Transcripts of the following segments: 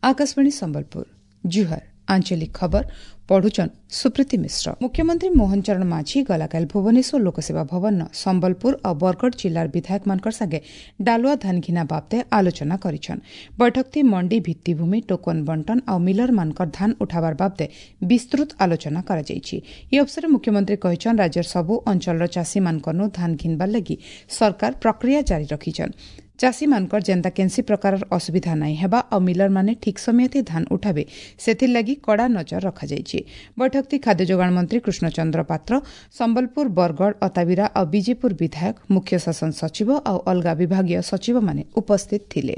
ଆକାଶବାଣୀ ସମ୍ବଲପୁର, ଜୁହାର। ଆଞ୍ଚଳିକ ଖବର ପଢୁଛନ୍ ସୁପ୍ରୀତି ମିଶ୍ର। ମୁଖ୍ୟମନ୍ତ୍ରୀ ମୋହନ ଚରଣ ମାଝୀ ଗଲାକାଲି ଭୁବନେଶ୍ୱର ଲୋକସେବା ଭବନ ସମ୍ବଲପୁର ଆଉ ବରଗଡ଼ ଜିଲ୍ଲାର ବିଧାୟକମାନଙ୍କର ସାଙ୍ଗେ ଡାଲୁଆ ଧାନ ଘିନା ବାବଦେ ଆଲୋଚନା କରିଛନ୍। ବୈଠକଥି ମଣ୍ଡି ଭିତ୍ତିଭୂମି, ଟୋକନ ବଣ୍ଟନ ଆଉ ମିଲରମାନଙ୍କର ଧାନ ଉଠାବାର ବାବଦେ ବିସ୍ତୃତ ଆଲୋଚନା କରାଯାଇଛି। ଏହି ଅବସରରେ ମୁଖ୍ୟମନ୍ତ୍ରୀ କହିଛନ୍, ରାଜ୍ୟର ସବୁ ଅଞ୍ଚଳର ଚାଷୀମାନଙ୍କନୁ ଧାନ ଘିନବାର ଲାଗି ସରକାର ପ୍ରକ୍ରିୟା ଜାରି ରଖିଛନ୍। ଚାଷୀମାନଙ୍କର ଯେନ୍ତା କେନ୍ସି ପ୍ରକାରର ଅସୁବିଧା ନାଇଁ ହେବା ଆଉ ମିଲରମାନେ ଠିକ୍ ସମୟଥି ଧାନ ଉଠାବେ, ସେଥିର୍ଲାଗି କଡ଼ା ନଜର ରଖାଯାଇଛି। ବୈଠକଥି ଖାଦ୍ୟ ଯୋଗାଣ ମନ୍ତ୍ରୀ କୃଷ୍ଣଚନ୍ଦ୍ର ପାତ୍ର, ସମ୍ବଲପୁର, ବରଗଡ଼, ଅତାବିରା ଆଉ ବିଜେପୁର ବିଧାୟକ, ମୁଖ୍ୟ ଶାସନ ସଚିବ ଆଉ ଅଲଗା ବିଭାଗୀୟ ସଚିବମାନେ ଉପସ୍ଥିତ ଥିଲେ।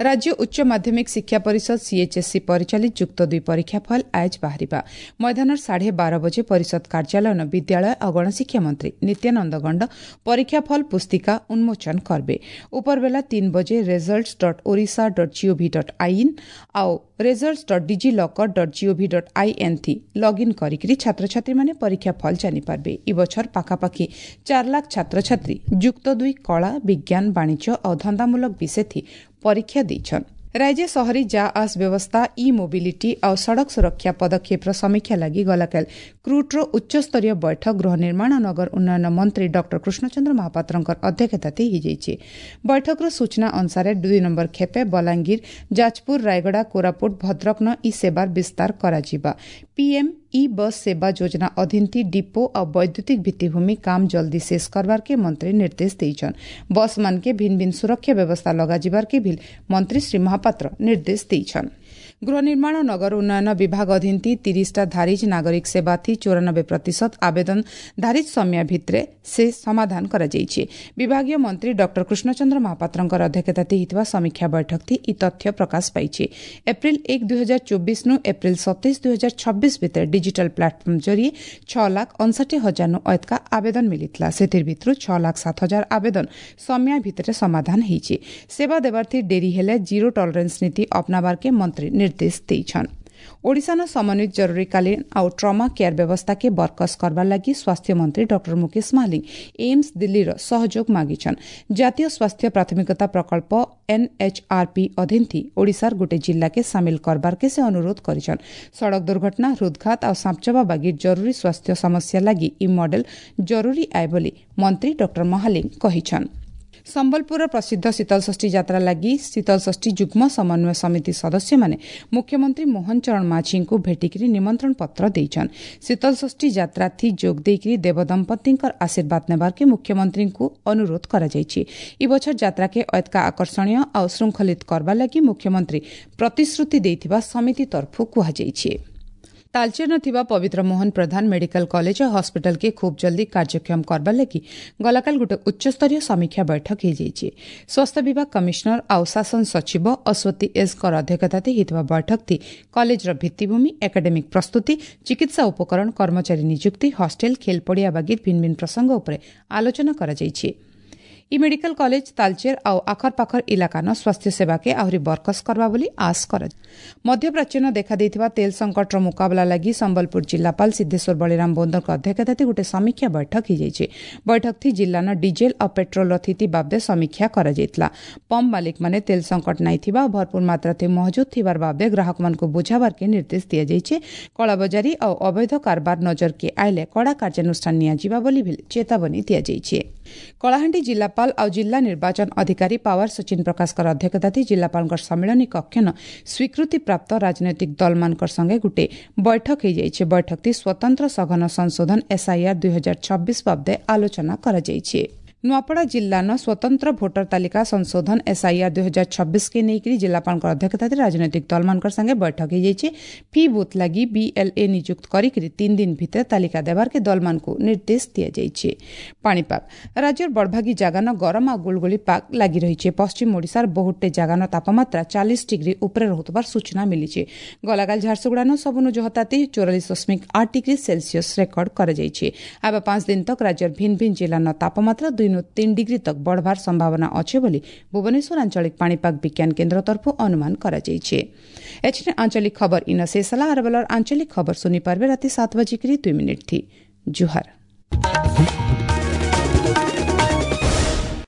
ରାଜ୍ୟ ଉଚ୍ଚ ମାଧ୍ୟମିକ ଶିକ୍ଷା ପରିଷଦ ସିଏଚ୍ଏସ୍ସି ପରିଚାଳିତ ଯୁକ୍ତ ଦୁଇ ପରୀକ୍ଷା ଫଳ ଆଜ ବାହାରିବା। ମଇଦାନର 12:30 ବଜେ ପରିଷଦ କାର୍ଯ୍ୟାଳୟନ ବିଦ୍ୟାଳୟ ଆଉ ଗଣଶିକ୍ଷା ମନ୍ତ୍ରୀ ନିତ୍ୟାନନ୍ଦ ଗଣ୍ଡ ପରୀକ୍ଷା ଫଳ ପୁସ୍ତିକା ଉନ୍ମୋଚନ କରିବେ। ଉପରବେଲା 3 ବଜେ results.odisha.gov.in ଆଉ results.digilocker.gov.in ଥି ଲଗ୍ଇନ୍ କରିକିରି ଛାତ୍ରଛାତ୍ରୀମାନେ ପରୀକ୍ଷା ଫଳ ଜାଣିପାରିବେ। ଇ ବଛର ପାଖାପାଖି 4 ଲାଖ ଛାତ୍ରଛାତ୍ରୀ ଯୁକ୍ତ ଦୁଇ କଳା, ବିଜ୍ଞାନ, ବାଣିଜ୍ୟ ଆଉ ଧନ୍ଦାମୂଳକ ବିଷୟଥି ପରୀକ୍ଷା ଦେଇଛନ୍। ରାଜ୍ୟ ସହରୀ ଯା ଆସ ବ୍ୟବସ୍ଥା, ଇ ମୋବିଲିଟି ଆଉ ସଡ଼କ ସୁରକ୍ଷା ପଦକ୍ଷେପର ସମୀକ୍ଷା ଲାଗି ଗଲାକାଲି କ୍ରୁଟ୍ର ଉଚ୍ଚସ୍ତରୀୟ ବୈଠକ ଗୃହ ନିର୍ମାଣ ନଗର ଉନ୍ନୟନ ମନ୍ତ୍ରୀ ଡକ୍ଟର କୃଷ୍ଣଚନ୍ଦ୍ର ମହାପାତ୍ରଙ୍କ ଅଧ୍ୟକ୍ଷତାରେ ହୋଇଯାଇଛି। ବୈଠକର ସୂଚନା ଅନୁସାରେ 2 ନମ୍ବର ଖେପେ ବଲାଙ୍ଗୀର, ଯାଜପୁର, ରାୟଗଡ଼ା, କୋରାପୁଟ, ଭଦ୍ରକନ ଇ ସେବାର ବିସ୍ତାର କରାଯିବା। ପିଏମ୍ ଇ ବସ୍ ସେବା ଯୋଜନା ଅଧୀନଥି ଡିପୋ ଆଉ ବୈଦ୍ୟୁତିକ ଭିତ୍ତିଭୂମି କାମ ଜଲ୍ଦି ଶେଷ କରବାରକେ ମନ୍ତ୍ରୀ ନିର୍ଦ୍ଦେଶ ଦେଇଛନ୍। ବସ୍ ମାନକେ ଭିନ୍ନ ଭିନ୍ନ ସୁରକ୍ଷା ବ୍ୟବସ୍ଥା ଲଗାଯିବାରକେ ବି ମନ୍ତ୍ରୀ ଶ୍ରୀ ମହାପାତ୍ର ନିର୍ଦ୍ଦେଶ ଦେଇଛନ୍। ଗୃହ ନିର୍ମାଣ ନଗର ଉନ୍ନୟନ ବିଭାଗ ଅଧୀନଥି 30ଟା ଧାରିଜ ନାଗରିକ ସେବାଥି 94% ଆବେଦନ ଧାରିଜ ସମୟ ଭିତରେ ସେ ସମାଧାନ କରାଯାଇଛି। ବିଭାଗୀୟ ମନ୍ତ୍ରୀ ଡକ୍ଟର କୃଷ୍ଣଚନ୍ଦ୍ର ମହାପାତ୍ରଙ୍କର ଅଧ୍ୟକ୍ଷତାରେ ହୋଇଥିବା ସମୀକ୍ଷା ବୈଠକଥି ଇ ତଥ୍ୟ ପ୍ରକାଶ ପାଇଛି। ଏପ୍ରିଲ 1 2024 ନୁ ଏପ୍ରିଲ 27 2026 ଭିତରେ ଡିଜିଟାଲ ପ୍ଲାଟଫର୍ମ ଜରିଏ 6,59,000 ନୁ ଅଏତକା ଆବେଦନ ମିଳିଥିଲା। ସେଥିର ଭିତରୁ 6,07,000 ଆବେଦନ ସମୟ ଭିତରେ ସମାଧାନ ହେଇଛି। ସେବା ଦେବାର୍ଥୀ ଡେରି ହେଲେ ଜିରୋ ଟଲରେନ୍ସ ନୀତି ଅପନାବାରକେ ମନ୍ତ୍ରୀ ନିର୍ଦ୍ଦେଶ ଦେଇଛନ୍। ଓଡ଼ିଶାର ସମନ୍ୱିତ ଜରୁରୀକାଳୀନ ଆଉ ଟ୍ରମା କେୟାର ବ୍ୟବସ୍ଥାକେ ବରକସ କରବାର ଲାଗି ସ୍ୱାସ୍ଥ୍ୟମନ୍ତ୍ରୀ ଡକ୍ଟର ମୁକେଶ ମହାଲିଙ୍ଗ ଏମ୍ସ ଦିଲ୍ଲୀର ସହଯୋଗ ମାଗିଛନ୍। ଜାତୀୟ ସ୍ୱାସ୍ଥ୍ୟ ପ୍ରାଥମିକତା ପ୍ରକଳ୍ପ ଏନ୍ଏଚ୍ଆର୍ପି ଅଧୀନଥି ଓଡ଼ିଶାର ଗୋଟେ ଜିଲ୍ଲାକେ ସାମିଲ କରବାରକେ ସେ ଅନୁରୋଧ କରିଛନ୍। ସଡ଼କ ଦୁର୍ଘଟଣା, ହୃଦଘାତ ଆଉ ସାପଚବା ବାଗି ଜରୁରୀ ସ୍ୱାସ୍ଥ୍ୟ ସମସ୍ୟା ଲାଗି ଇ ମଡେଲ ଜରୁରୀ ଆଏ ବୋଲି ମନ୍ତ୍ରୀ ଡକ୍ଟର ମହାଲିଙ୍ଗ କହିଛନ୍। ସମ୍ବଲପୁରର ପ୍ରସିଦ୍ଧ ଶୀତଳଷଷ୍ଠୀ ଯାତ୍ରା ଲାଗି ଶୀତଳଷଷ୍ଠୀ ଯୁଗ୍ମ ସମନ୍ୱୟ ସମିତି ସଦସ୍ୟମାନେ ମୁଖ୍ୟମନ୍ତ୍ରୀ ମୋହନ ଚରଣ ମାଝୀଙ୍କୁ ଭେଟିକିରି ନିମନ୍ତ୍ରଣ ପତ୍ର ଦେଇଛନ୍। ଶୀତଳଷଷ୍ଠୀ ଯାତ୍ରାଥି ଯୋଗ ଦେଇକିରି ଦେବଦମ୍ପତିଙ୍କର ଆଶୀର୍ବାଦ ନେବାର୍କେ ମୁଖ୍ୟମନ୍ତ୍ରୀଙ୍କୁ ଅନୁରୋଧ କରାଯାଇଛି। ଇ ବଛର ଯାତ୍ରାକେ ଅଏତକା ଆକର୍ଷଣୀୟ ଆଉ ଶୃଙ୍ଖଳିତ କରବା ଲାଗି ମୁଖ୍ୟମନ୍ତ୍ରୀ ପ୍ରତିଶ୍ରୁତି ଦେଇଥିବା ସମିତି ତରଫରୁ କୁହାଯାଇଛି। ତାଲଚେର୍ନ ଥିବା ପବିତ୍ର ମୋହନ ପ୍ରଧାନ ମେଡିକାଲ କଲେଜ ଓ ହସ୍ପିଟାଲକେ ଖୁବ୍ ଜଲ୍ଦି କାର୍ଯ୍ୟକ୍ଷମ କରବାର ଲାଗି ଗଲାକାଲି ଗୋଟେ ଉଚ୍ଚସ୍ତରୀୟ ସମୀକ୍ଷା ବୈଠକ ହୋଇଯାଇଛି। ସ୍ୱାସ୍ଥ୍ୟ ବିଭାଗ କମିଶନର ଆଉ ଶାସନ ସଚିବ ଅଶ୍ୱତୀ ଏସ୍ଙ୍କର ଅଧ୍ୟକ୍ଷତାରେ ହୋଇଥିବା ବୈଠକଥି କଲେଜର ଭିତ୍ତିଭୂମି, ଏକାଡେମିକ୍ ପ୍ରସ୍ତୁତି, ଚିକିତ୍ସା ଉପକରଣ, କର୍ମଚାରୀ ନିଯୁକ୍ତି, ହଷ୍ଟେଲ, ଖେଲପଡ଼ିଆ ବାଗି ଭିନ୍ନ ଭିନ୍ନ ପ୍ରସଙ୍ଗ ଉପରେ ଆଲୋଚନା କରାଯାଇଛି। ଇ ମେଡିକାଲ କଲେଜ ତାଲଚେର ଆଉ ଆଖରପାଖର ଇଲାକାନ ସ୍ୱାସ୍ଥ୍ୟ ସେବାକେ ଆହୁରି ବରକସ କରବା ବୋଲି ଆଶ କରାଯାଏ। ମଧ୍ୟପ୍ରାଚ୍ୟନ ଦେଖାଦେଇଥିବା ତେଲ ସଂକଟର ମୁକାବିଲା ଲାଗି ସମ୍ବଲପୁର ଜିଲ୍ଲାପାଳ ସିଦ୍ଧେଶ୍ୱର ବଳିରାମ ବୋନ୍ଦଙ୍କ ଅଧ୍ୟକ୍ଷତାରେ ଗୋଟେ ସମୀକ୍ଷା ବୈଠକ ହୋଇଯାଇଛି। ବୈଠକଥି ଜିଲ୍ଲାନ ଡିଜେଲ ଆଉ ପେଟ୍ରୋଲର ସ୍ଥିତି ବାବଦେ ସମୀକ୍ଷା କରାଯାଇଥିଲା। ପମ୍ପ ମାଲିକମାନେ ତେଲ ସଂକଟ ନାଇଁ ଥିବା ଆଉ ଭରପୁର ମାତ୍ରାରେ ମହଜୁଦ ଥିବାର ବାବଦେ ଗ୍ରାହକମାନଙ୍କୁ ବୁଝାବାରକେ ନିର୍ଦ୍ଦେଶ ଦିଆଯାଇଛି। କଳାବଜାରୀ ଆଉ ଅବୈଧ କାରବାର ନଜରକେ ଆଇଲେ କଡ଼ା କାର୍ଯ୍ୟାନୁଷ୍ଠାନ ନିଆଯିବା ବୋଲି ବି ଚେତାବନୀ ଦିଆଯାଇଛି। କଳାହାଣ୍ଡି ଜିଲ୍ଲାପାଳ ଆଉ ଜିଲ୍ଲା ନିର୍ବାଚନ ଅଧିକାରୀ ପାୱାର ସଚିନ ପ୍ରକାଶଙ୍କର ଅଧ୍ୟକ୍ଷତାରେ ଜିଲ୍ଲାପାଳଙ୍କ ସମ୍ମିଳନୀ କକ୍ଷନ ସ୍ୱୀକୃତିପ୍ରାପ୍ତ ରାଜନୈତିକ ଦଳମାନଙ୍କର ସଙ୍ଗେ ଗୋଟେ ବୈଠକ ହୋଇଯାଇଛି। ବୈଠକଟି ସ୍ୱତନ୍ତ୍ର ସଘନ ସଂଶୋଧନ ଏସ୍ଆଇଆର୍ 2026 ବାବଦେ ଆଲୋଚନା କରାଯାଇଛି। ନୂଆପଡ଼ା ଜିଲ୍ଲାନ ସ୍ୱତନ୍ତ୍ର ଭୋଟର ତାଲିକା ସଂଶୋଧନ ଏସ୍ଆଇଆର୍ 2026 କେ ନେଇକରି ଜିଲ୍ଲାପାଳଙ୍କ ଅଧ୍ୟକ୍ଷତାରେ ରାଜନୈତିକ ଦଳମାନଙ୍କର ସାଙ୍ଗେ ବୈଠକ ହୋଇଯାଇଛି। ଫି ବୁଥ୍ ଲାଗି ବିଏଲ୍ଏ ନିଯୁକ୍ତ କରିକି 3 ଦିନ ଭିତରେ ତାଲିକା ଦେବାର୍କେ ଦଳମାନଙ୍କୁ ନିର୍ଦ୍ଦେଶ ଦିଆଯାଇଛି। ପାଣିପାଗ ରାଜ୍ୟର ବଡ଼ଭାଗୀ ଜାଗାନ ଗରମ ଆଉ ଗୁଳୁଗୁଳି ପାଗ ଲାଗି ରହିଛି। ପଶ୍ଚିମ ଓଡ଼ିଶାର ବହୁତଟେ ଜାଗାନ ତାପମାତ୍ରା 40 ଡିଗ୍ରୀ ଉପରେ ରହୁଥିବାର ସୂଚନା ମିଳିଛି। ଗଲାକାଲି ଝାରସୁଗୁଡ଼ାନ ସବୁନୁ ଜହତାତି 44.8 ଡିଗ୍ରୀ ସେଲସିୟସ୍ ରେକର୍ଡ କରାଯାଇଛି। ଆବା 5 ଦିନ ତକ ରାଜ୍ୟର ଭିନ୍ନ ଭିନ୍ନ ଜିଲ୍ଲାନ ତାପମାତ୍ରା 2 3 ଡିଗ୍ରୀ ତକ ବଢ଼ବାର ସମ୍ଭାବନା ଅଛି ବୋଲି ଭୁବନେଶ୍ୱର ଆଞ୍ଚଳିକ ପାଣିପାଗ ବିଜ୍ଞାନ କେନ୍ଦ୍ର ତରଫରୁ ଅନୁମାନ କରାଯାଇଛି। ଏଥିରେ ଆଞ୍ଚଳିକ ଖବର ଇନ ଶେଷ ହେଲା। ଆର ବେଲର ଆଞ୍ଚଳିକ ଖବର ଶୁଣିପାରିବେ ରାତି 7:02 ଥି। ଜୁହାର।